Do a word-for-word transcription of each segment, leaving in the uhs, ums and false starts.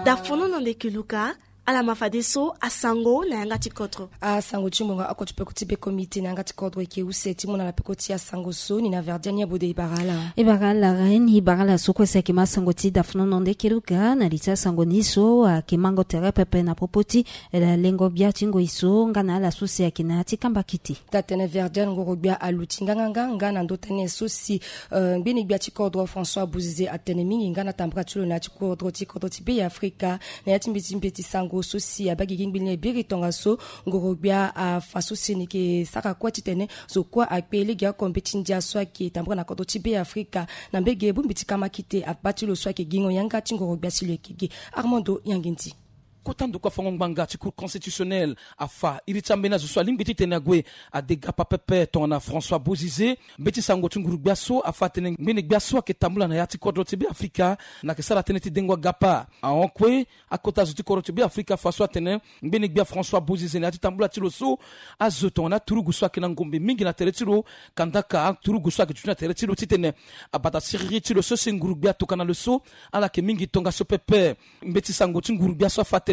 Dafono na ndeke luka. Ala ma fadeso asango na yanga ti kodro. Asango ti ngonga oko ti peko ti be komite na yanga ti kodro eke use ti mu na ala peko ti asango so ni na verdian ya bode ibara ala. Ibara ala ren ibara ala so kue si ayeke ma asango ti dafono na ndeke luka na li ti asango ni so ayeke mango tere pepe na popo ti lengo gbia ti ngoi so nga na ala so si ayeke na ya ti kamba kite. Tatene verdian ngoro gbia aluti nganganga nga na ndo tënë so si ngbeni gbia ti kodro François Bouzize atene mingi nga na tambara ti lo na ya ti kodro ti kodro ti be ya Afrika. Na ya ti mbeti mbeti sango so si abagigi ngbeni biri tongaso ngoro gbia afa so si ni yeke sara kue titene zo kue akpe legeoko mbeti ndia so ayeke tambara na kodro ti be ya Afrika. Na mbege bongbi ti kama kite abaa ti lo so ayeke gingo yanga ti ngoro gbia si lo yeke gi. Armando Yangindi. Kota ndokua fango ngbanga ti cour constitutionnelle afa iri ti ambeni azo so alingbi titene ague ade gapa pepe tongana François Bouzize. Mbeti sango ti nguru gbia so afa atene ngbeni gbia so ayeke tambula na ya ti kodro ti be Afrika na yeke sara tënë ti dengo agapa ahon kue. Akota zo ti kodro ti be Afrika afa so atene ngbeni gbia François Bouzize na ya ti tambula ti lo so azo tongana aturugu so ayeke na ngombe mingi na tere ti lo. Kandaka aturugu so ayeke duti na tere ti lo titene abata siriri ti lo so si nguru gbia tokana lo so ala yeke mingi tongaso pepe. Mbeti sango ti nguru gbia so afa atene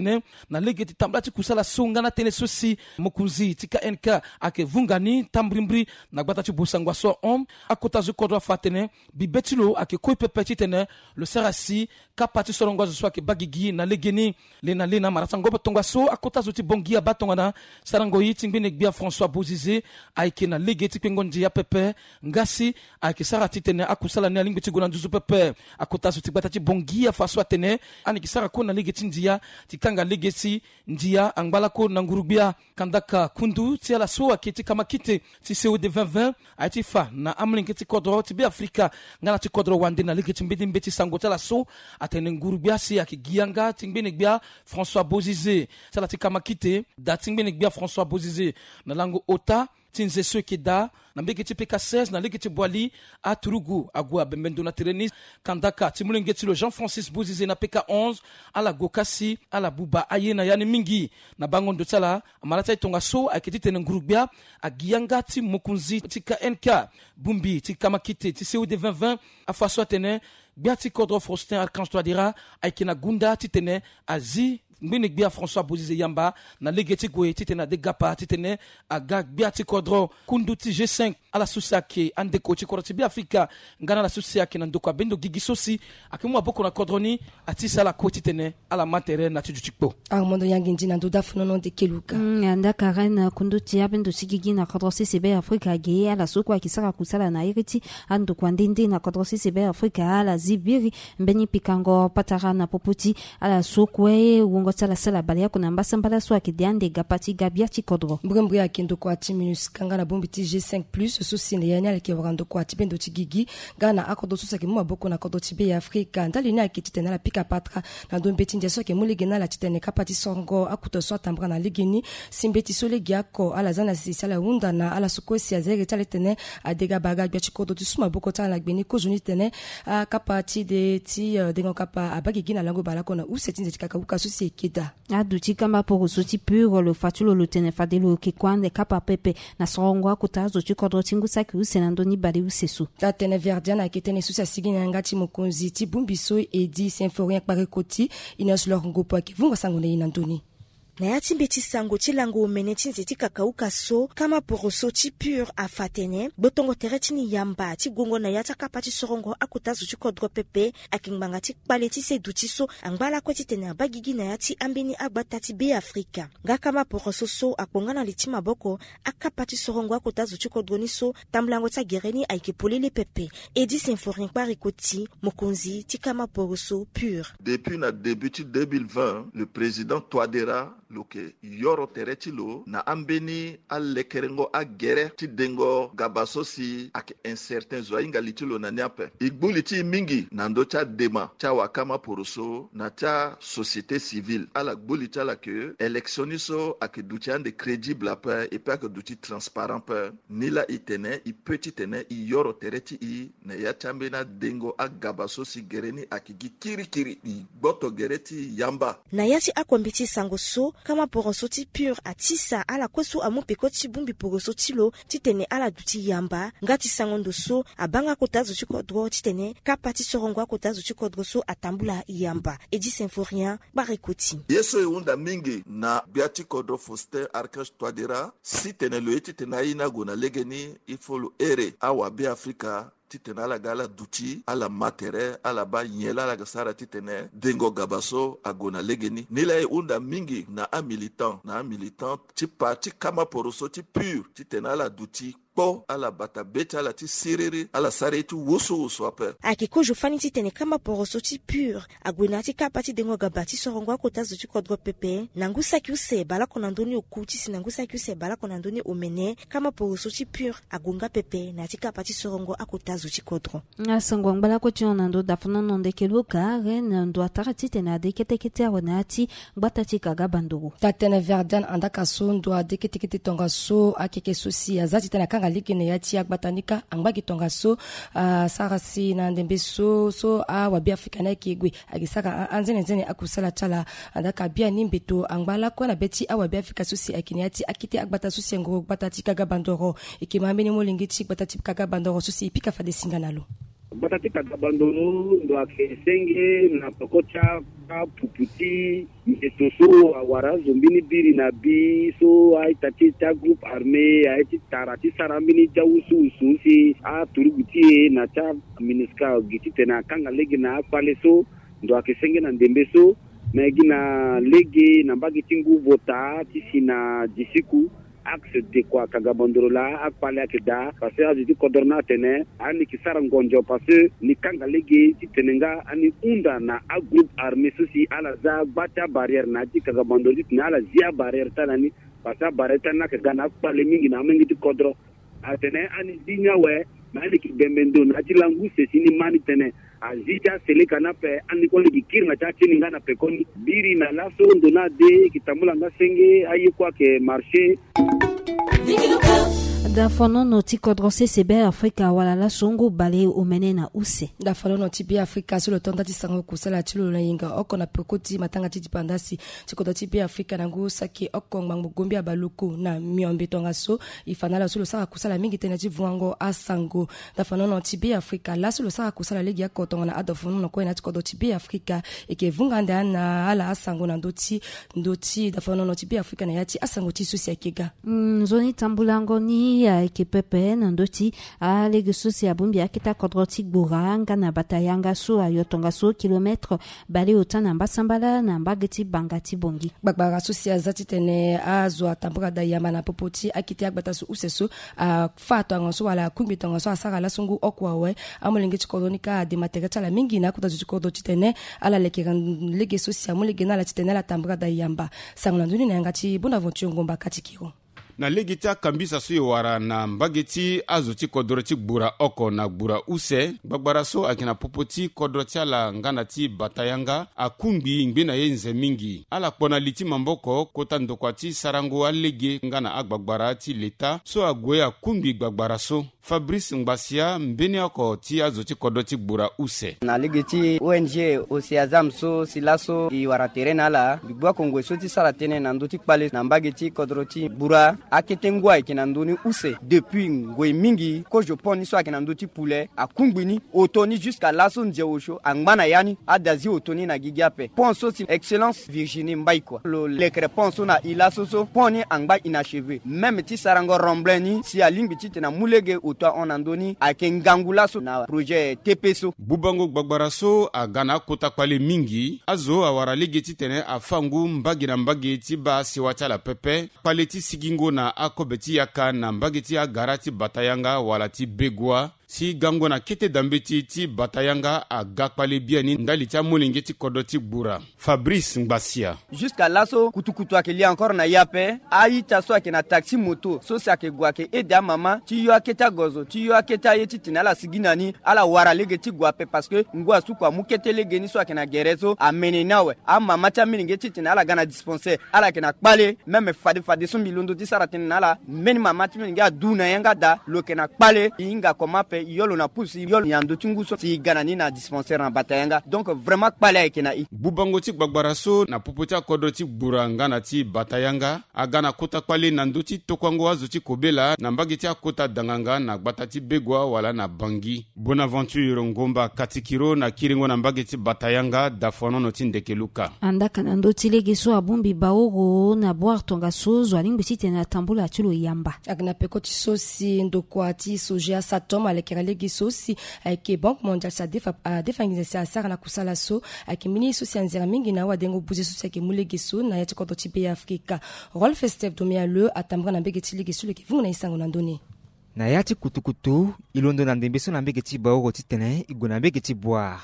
na lege ti tambula ti kusala so nga na tënë so si mokonzi ti K N K ayeke vunga ni tambrimbri na gbata ti bosango so ahon. Akota zo kodro afa atene bibe ti lo ayeke koi pepe titene lo sara si kapa ti sorongo azo so ayeke baa gigi na legeni. Le na le na mara ti angobo tongaso akota zo ti Bangui abaa tongana sarango ye ti ngbene gbia François Bozizé ayeke na lege ti kpengo ndia pepe. Nga si ayeke sara titene akusala ni alingbi ti gue na nduzu pepe. Akota zo ti gbata ti Bangui afa so atene ani yeke sara kue na lege ti ndia ti kanga lege ti ndia angba lakue na nguru-gbia. Kandaka kundu ti ala so ayeke ti kamakite ti C O D vingt vingt aye ti fa na amolenge ti kodro ti Beafrika nga na ti kodro wande na lege ti mbeni mbeti sango ti ala so atene nguru-gbia si ayeke gi yanga ti ngbene gbia François Bozizé. Ti ala ti kamakite da ti ngbene gbia François Bozizé na lango ota ti nze so eke daa na mbege ti P K seize na lege ti Boali. Aturugu ague abembe ndo na tere ni. Kandaka ti molenge ti lo Jean Francis Bozizé na P K onze ala gue ka si ala buba aye na ya ni mingi. Na bango ndo ti ala, amara ti aye tongaso ayeke titene nguru-gbia agi yanga ti mokonzi ti K N K. Bongbi ti kamakite ti C O D vingt vingt afa so atene gbia ti kodro Faustin Archange Touadéra ayeke na gunda titene azi ngbene gbia François Bozizé yamba na lege ti gue titene ade gapa titene aga gbia ti kodro. Kundu ti G cinq ala so si ayeke andeko ti kodro ti Beafrika nga na ala so si ayeke na ndokua bendo gigi so si ayeke mu maboko na kodro ni, ati si ala kue titene ala ma tere na ti duti kpo. Armando Yangindi na ndo dafo nono nde keluka. Mm, anda Karen, kundu ti abendo ti gigi na kodro sese Beafrika age ala so kue ayeke sara kusala na iri ti andokua nde nde na kodro sese Beafrika ala zi biri mbeni pikango patara na popo ti ala so kue wungo ti ala sala baleoko na mbasambala so ayeke de ande gapa ti ga gbia ti kodro. Mbrimbri ayeke ndokua ti MINUSCA nga na bongbi ti G cinq plus so si na ya ni ala yeke wara ndokua ti bendo ti gigi nga na akodro so si ayeke mu maboko na kodro ti Beafrika. Ndali ni ayeke titene ala pika patara na ndo mbeti ndia so ayeke mu lege na ala titene kapa ti sorongo akuta so atambara na legeni. Si mbeti so legeoko ala za na sese si ala hunda na ala so kue si aza iri ti ala titene ade gapa aga gbia ti kodro ti su maboko ti ala na gbe ni kozoni titene akapa ti de ti, eh, dengo kapa abaa gigi na lango baleoko na use ti nze ti kakauka so si eke daa. Aduti kamba poroso ti PUR lo fa ti lo lo tene fade lo yeke kue ande kapa pepe na sorongo akota azo ti kodro ti ngu saki use na ndö ni baleuse so. Atene Verdian ayeke tënë so si asigi na yanga ti mokonzi ti bongbi so Eddy Symphorien Kparekoti. Inosse Lor Ngopo ayeke vungo sango na e na ndö ni. Na ya ti mbeti sango ti lango omene ti nze ti kakauka so, kama poroso ti PUR afa atene gbotongo tere ti ni yamba ti gongo na ya ti akapa ti sorongo akota zo ti kodro pepe ayeke ngbanga ti kpale ti se duti so angba lakue titene abaa gigi na ya ti ambeni agbata ti Beafrika. Nga kama poroso so akpo nga na li ti maboko akapa ti sorongo akota zo ti kodro ni so tambulango ti agere ni ayeke polele pepe. Eddy Symphorien Kparekoti, mokonzi ti kama poroso PUR. Depuis na début ti deux mille vingt, le président Touadéra lo yeke yoro tere ti lo na ambeni alekerengo agere ti dengo gaba so si ayeke incertain, zo ahinga li ti lo na ni ape. E gbu li ti e mingi na ndö ti adema ti awakama poroso na ti asociété civile. Ala gbu li ti ala ke élection ni so ayeke duti ande crédible ape, et puis ayeke duti transparent ape. Nilaa e tene e peut titene e yoro tere ti e na ya ti ambeni adengo agaba so si gere ni ayeke gi kirikiri. E gboto gere ti e yamba. Na ya ti akombe ti sango so, Kama poroso ti pur atisa ala kue so amu peko ti bongbi poroso ti lo titene ala duti yamba nga ti sango ndo so abanga akota zo ti kodro titene kapa ti sorongo akota zo ti kodro so atambula yamba. Edi Symphorien, Kpareko ti. Ye so e hunda mingi na gbia ti kodro Faustin Archange Touadéra si tene lo ye titene aye ni ague na legeni, il faut lo here awabe afrika titene ala ga ala duti ala ma tere ala baa nyen laa ala ga sara titene dengo gaba so ague na legeni. Nilaa e hunda mingi na amilitant na amilitant ti parti kama poroso ti pur titene ala duti kpo ala bata be ti ala ti siriri ala sara ye ti wusuwusu ape. Ayeke kozo fani titene kama poroso ti pur ague na ya ti kapa ti dengo gaba ti sorongo akota zo ti kodro pepe na ngu saki use baleoko na ndoni oku ti si na ngu saki use baleoko na ndoni omene. Kama poroso ti pur ague nga pepe na ya ti kapa ti sorongo akota zo ti kodro. Asango angba lakue ti hon na ndo dafanono ndeke luka ren na ndo atara titene ade ketekete awe na ya ti gbata ti kaga bandoro. Tatene verdian andaka so ndo ade ketekete tongaso akeke so si aza titene akanga lege na ya ti agbata ni kâ angba gi tongaso. Asara si na ndembe so so awabe afrika ni ayeke gue ayeke sara anzenenzene akusala ti ala. Andaka biani mbeto angba lakue na be ti awabe afrika so si ayeke na ya ti akete agbata so si angoro gbata ti kaga bandoro. Eke ma mbeni molenge ti gbata ti kaga bandoro so si epika fade singa na lo. Gbata ti kaga bandoro ndo ayeke senge na peko ti apupu ti ngeto so awara azo mbeni biri na bi so a-ita ti e ti agroupe armé aye ti tara ti sara mbeni ti awusuwusu si aturugu ti e na ti aminisika gi titene akanga lege na akpale so. Ndo ayeke senge na ndembe so me gi na lege na mbage ti ngu vota ti si na disiku axe dekua kaga bandoro laa akpale ayeke daa parce que azo ti kodro ni atene ani yeke sara ngonzo parce que ni kanga lege titene nga ani hunda na agroupe armé so si ala za gba ti abarrière na ya ti kaga bandoro titene ala zi abarrière ti ala ni. Parce que abarrière ti ala ni ayeke ga na akpale mingi na amolenge ti kodro. Atene ani zi ni awe me ani yeke bembe ndo na ya ti langu use si ni ma ni tene azi ti aseleka ni ape. Ani kue ni gi kiri na ti atini nga na pekoni biri na laso ndo ni ade e yeke tambula nga senge aye kue ayeke marché. Dafanono ti kodro sese be afrika wala laso ngu baleomene na use. Dafanono ti be afrika so lo tonda ti sango kusala ti lo na yenga oko na peko ti matanga ti dipandasi ti kodro ti be afrika na ngu saki oko ngbangbo gombi abaluku na miombe tongaso. E fa na ala so lo sara kusala mingi tënë ti vuango asango. Dafanono ti be afrika laso lo sara kusala lege oko tongana adafanono kue na ya ti kodro ti be afrika. Eke vunga ande na ala asango na ndö ti ndö ti dafanono ti be afrika na ya ti asango ti so si ayeke ga. Nzoni tambulango ni ayeke pepe na ndö ti alege so si abongbi akete akodro ti gbura nga na bata yanga so ayo tongaso kilometre baleota na mbasambala na mbage ti banga ti bongi. Gbagbara so si aza titene azo atambula daa yamba na popo ti akete agbata so use so afa tongaso wala akungbi tongaso asara laso ngu oko awe. Amolenge ti kodro ni kâ adema tere ti ala mingi na akota zo ti kodro titene ala leke lege so si amu lege na ala titene ala tambula daa yamba. Sango na ndö ni na yanga ti bonaventure ngomba kati kiro. Na lege ti akambisa so e wara na mbage ti azo ti kodro ti gbura oko na gbura use gbagbara so ayeke na popo ti kodro ti ala nga na ti bata yanga akungbi ngbe na ye nze mingi. Ala kpo na li ti maboko kota ndokua ti sarango alege nga na agbagbara ti leta so ague akungbi gbagbara so. Fabrice Ngbasia mbeni oko ti azo ti kodro ti gbura use. Na lege ti ong oceazam so si laso e wara tere na ala mbi gbu oko ngoi so ti sara tënë na ndö ti kpale na mbage ti kodro ti gbura. Akete ngu ayeke na ndö ni use depuis ngoi mingi kozo pont ni so ayeke na ndö ti pule akungbi ni oto ni jusqu'à laso nze osio angba na ya ni. Adazi oto ni na gigi ape pont so si excellence virginie mbai kua lo lekere pont so na e laso so pont ni angba inacheve même ti sarango remblin ni si alingbi titene amu lege oto ahon na ndö ni ayeke ngangu laso na projet tepe so. Bubango gbagbara so aga na akota kpale mingi azo awara lege titene afa ngu mbage na mbage ti baa sewa ti ala pepe. Kpale ti sigingo na akobe ti yaka na mbage ti agara ti bata yanga wala ti begua si gango na kete dambeti ti bata yanga aga kpale biani ndali ti amolenge ti kodro ti gbura. Fabrice Ngbasia. Jusqu'à laso kutukutu ayeke li encore na e ape. A-ita so ayeke na taxi moto so si ayeke gue ayeke aide amama ti yo akete agozo ti yo akete aye titene ala sigi na ni ala wara lege ti gue ape parce que ngu asuku amu kete lege ni so ayeke na gere so amene ni awe. Amama ti amilenge titene ala ga na dispensaire ala yeke na kpale même fade fade so mbi londo ti sara tënë na ala mbeni mama ti mbi ngia adu na yanga daa lo yeke na kpale e hinga comment pe. Yo lo na pusu yo lo na ndö ti ngu so si ga na ni na dispensaire na Batayanga. Donc vraiment kpale ayeke na i. Gbubango ti gbagbara so na popo ti akodro ti gbura nga na ti Batayanga aga na kota kpale na ndö ti tokuango azo ti kobela na mbage ti akota danganga na gbata ti Begua wala na Bangui. Bonaventure Ngomba Katikiro na kiringo na mbage ti Batayanga, dafonono ti ndeke luka. Andaka na ndö ti lege so abongbi baoro na Boire tongaso zo alingbi titene atambula ti lo yamba. Aga na peko ti so si ndokua ti Sogea Satom alekere lege so si ayeke Banque Mondiale si adefa adefa nginza si asara na kusala so ayeke mbeni so si anzere mingi na awadengo buze so si ayeke mu lege so na ya ti kodro ti Be Afrika. Rolf Steve Domialeu atambara na mbege ti lege so lo yeke vungu na e sango na ndö ni. Na ya ti kutukutu, e londo na ndembe so na mbege ti Baoro titene e gue na mbege ti Boire.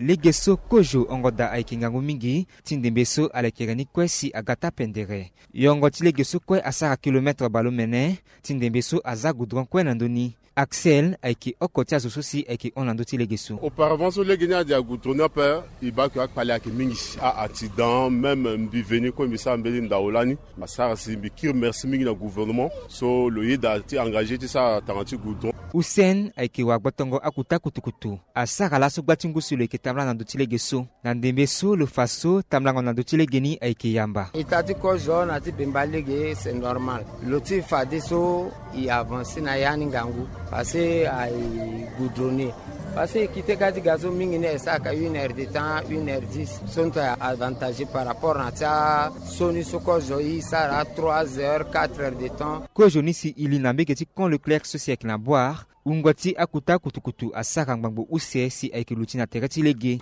Lege so kozo ongo daa ayeke ngangu mingi ti ndembe so alekere ni kue si aga taa pendere. Yongo ti lege so kue asara kilometre bale omene ti ndembe so aza goudron kue na ndö ni. Axel ayeke oko ti azo so si ayeke hon na ndö ti lege so. Auparavant so lege ni ade agoudron ni ape, e baa ke akpale ayeke mingi si a-accident même mbi veni kue mbi sara mbeni ndao lani. Asara si mbi kiri merci mingi na gouvernement so lo yeda ti engage ti sara tanga ti goudron. Hussein ayeke wagbotongo akuta kutukutu. Asara laso gba ti ngu si lo yeke tambala na ndö ti lege so. Na ndembe so lo fa so tambulango na ndö ti lege ni ayeke yamba. Ita ti kozo na ti bemba lege c'est normal. Lo ti fadeso e avancer na ya ni ngangu parce que aye goudronné. Parce que e kite ka ti ga so mingi ni e sara ka une heure de temps, une heure dix. So ni to aye avantage par rapport na ti aso ni so kozo e sara trois heures, quatre heures de temps. Kozo ni si e li na mbege ti Camp Leclerc so si ayeke na Boire. Wungo ti akuta kutukutu asara ngbangbo use si ayeke luti na tere ti lege.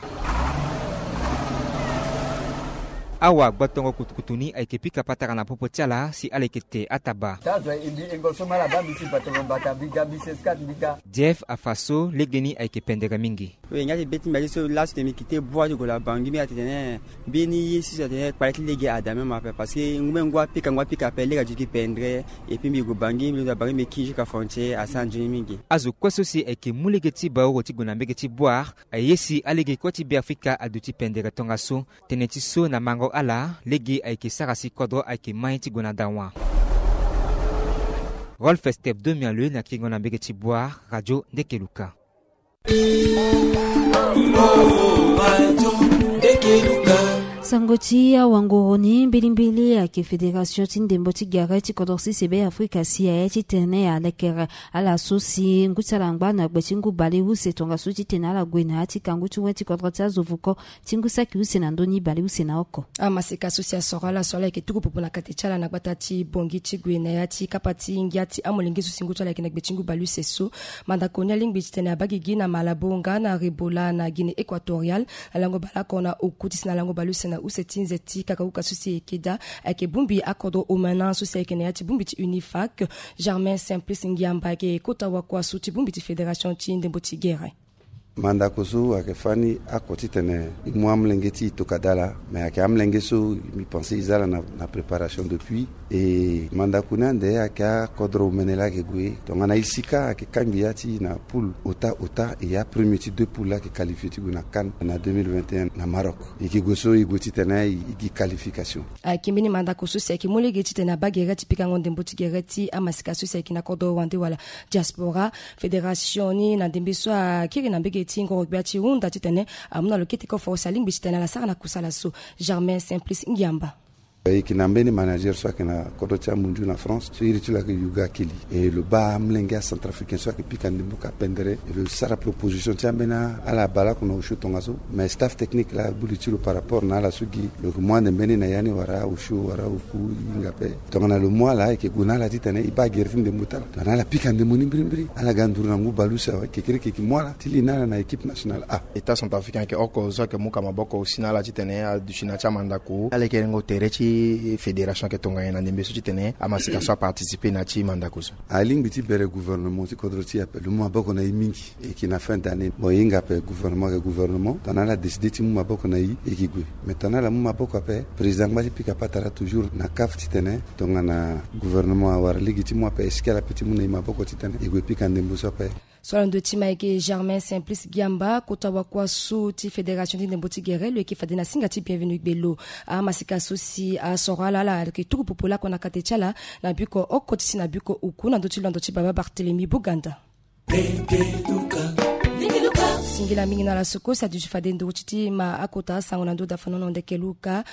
Awa gbotongo kutukutu ni ayeke pika patara na popo ti ala si ala yeke te ataba. Ti azo e mbi engo so ma ala baa mbi ti batongo mbata mbi ga mbi seskat mbi ga. Jeff afa so lege ni ayeke pendere mingi. We ngia ti be ti mbi aye so laso tene mbi kite Boire ti gue na Bangui mbi atene mbeni ye so si atene kpale ti lege ada même ape parce que ngu me ngu apika ngu apika ape lege aduti pendere. Et puis mbi gue Bangui mbi londo na Bangui mbi ki jusqu'à frontière asara nzoni mingi. Azo kue so si ayeke mu lege ti Baoro ti gue na mbege ti Boire aye si alege kue ti Beafrika aduti pendere tongaso. Tënë ti so na mango ala lege ayeke sara si kodro ayeke mai ti gue na dawa. Rolf Step Domialeu na kiringo na mbege ti Boire, Radio Ndekeluka. Sango ti awangoro ni mbilimbili ayeke fédération ti ndembo ti gere ti kodro sese Be Afrika si aye titene alekere ala so si ngu ti ala angba na gbe ti ngu baleuse tongaso titene ala gue na ya ti kangu ti wen ti kodro ti azo vuko ti ngu saki use na ndö ni baleuse na oko. Amaseka so si asoro ala so ala yeke tuku popo na kate ti ala na gbata ti Bangui ti gue na ya ti kapa ti ngia ti amolenge so si ngu ti ala yeke na gbe ti ngu baleuse so. Mandako ni alingbi titene abaa gigi na Malabo nga na Rebola na Guinée Équatoriale na lango baleoko na oku ti si na lango baleuse na use ti nze ti kakauka so si eke daa ayeke bongbi akodro omena so si ayeke na ya ti bongbi ti UNIFAC. Germain Simplice Ngiamba ayeke kota wakua so ti bongbi ti fédération ti ndembo ti gere. Mandako so ayeke fani oko titene e mu amolenge ti e tokua daa laa. Mais ayeke amolenge so mbi pense e za ala na, na préparation depuis. E mandako ni ande ayeke akodro omene laa ayeke gue tongana e si ka ayeke kangbi ya ti e na poule ota ota e ya premier ti deux poules laa ayeke qualifié ti gue na CAN na deux mille vingt et un na Maroc. E yeke gue so e gue titene e gi qualification. Ayeke mbeni mandako so si ayeke mu lege titene abaa gere ti pikango ndembo ti gere ti amasika so si ayeke na kodro wande wala diaspora. Fédération ni na ndembe so akiri na mbege ti ngoro-gbia ti hunda titene amu na lo kete koforo si alingbi titene ala sara na kusala so. Germain Simplice Ngiamba. E yeke na mbeni manager so ayeke na kodro ti amunzu na France so iri ti lo ayeke Yuga Kili. E lo baa amolenge acentrafricain so ayeke pika ndembo ka pendere. E lo sara proposition ti ambeni ala baleoko na osio tongaso. Mais staff technique laa agbu li ti lo par rapport na ala so gi lo yeke mu ande mbeni na ya ni wala osio wala oku e hinga ape. Tongana lo mu ala e yeke gue na ala titene e baa gere ti ndembo ti ala. Tongana ala pika ndembo ni mbirimbiri ala ga nduru na ngu baleuse awe kekereke e yeke mu ala ti li na ala na équipe nationale A. État centrafricain ayeke oko so ayeke mu ka maboko aussi na ala titene aduti na ya ti amandako. Ala yeke rengo tere ti fédération ayeke tongana nyen na ndembe so titene amasika so aparticiper na ya ti mandako so? Alingbi ti bere gouvernement ti kodro ti e ape lo mu maboko na e mingi. E yeke na fin d'année. Bon e hinga ape gouvernement ayeke gouvernement. Tongana ala décider ti mu maboko na e e yeke gue. Mais tongana ala mu maboko ape président angba ti pika patara toujours na CAF titene tongana gouvernement awara lege ti mu ape est-ce que ala peut ti mu na e maboko titene e gue pika ndembo so ape. So ala ndo ti ma ayeke Germain Simplice Giamba kota wakua so ti fédération ti ndembo ti gere lo yeke fade na singa ti Bienvenu Gbelo. Amasika so si asoro ala ala ayeke tuku popo lakue na kate ti ala na biko oko ti si na biko oku na ndö ti londo ti baba Barthélemy Boganda. Singila mingi na ala soko si aduti fade nduru ti ti ma akota asango na ndö dafanono ndeke luka.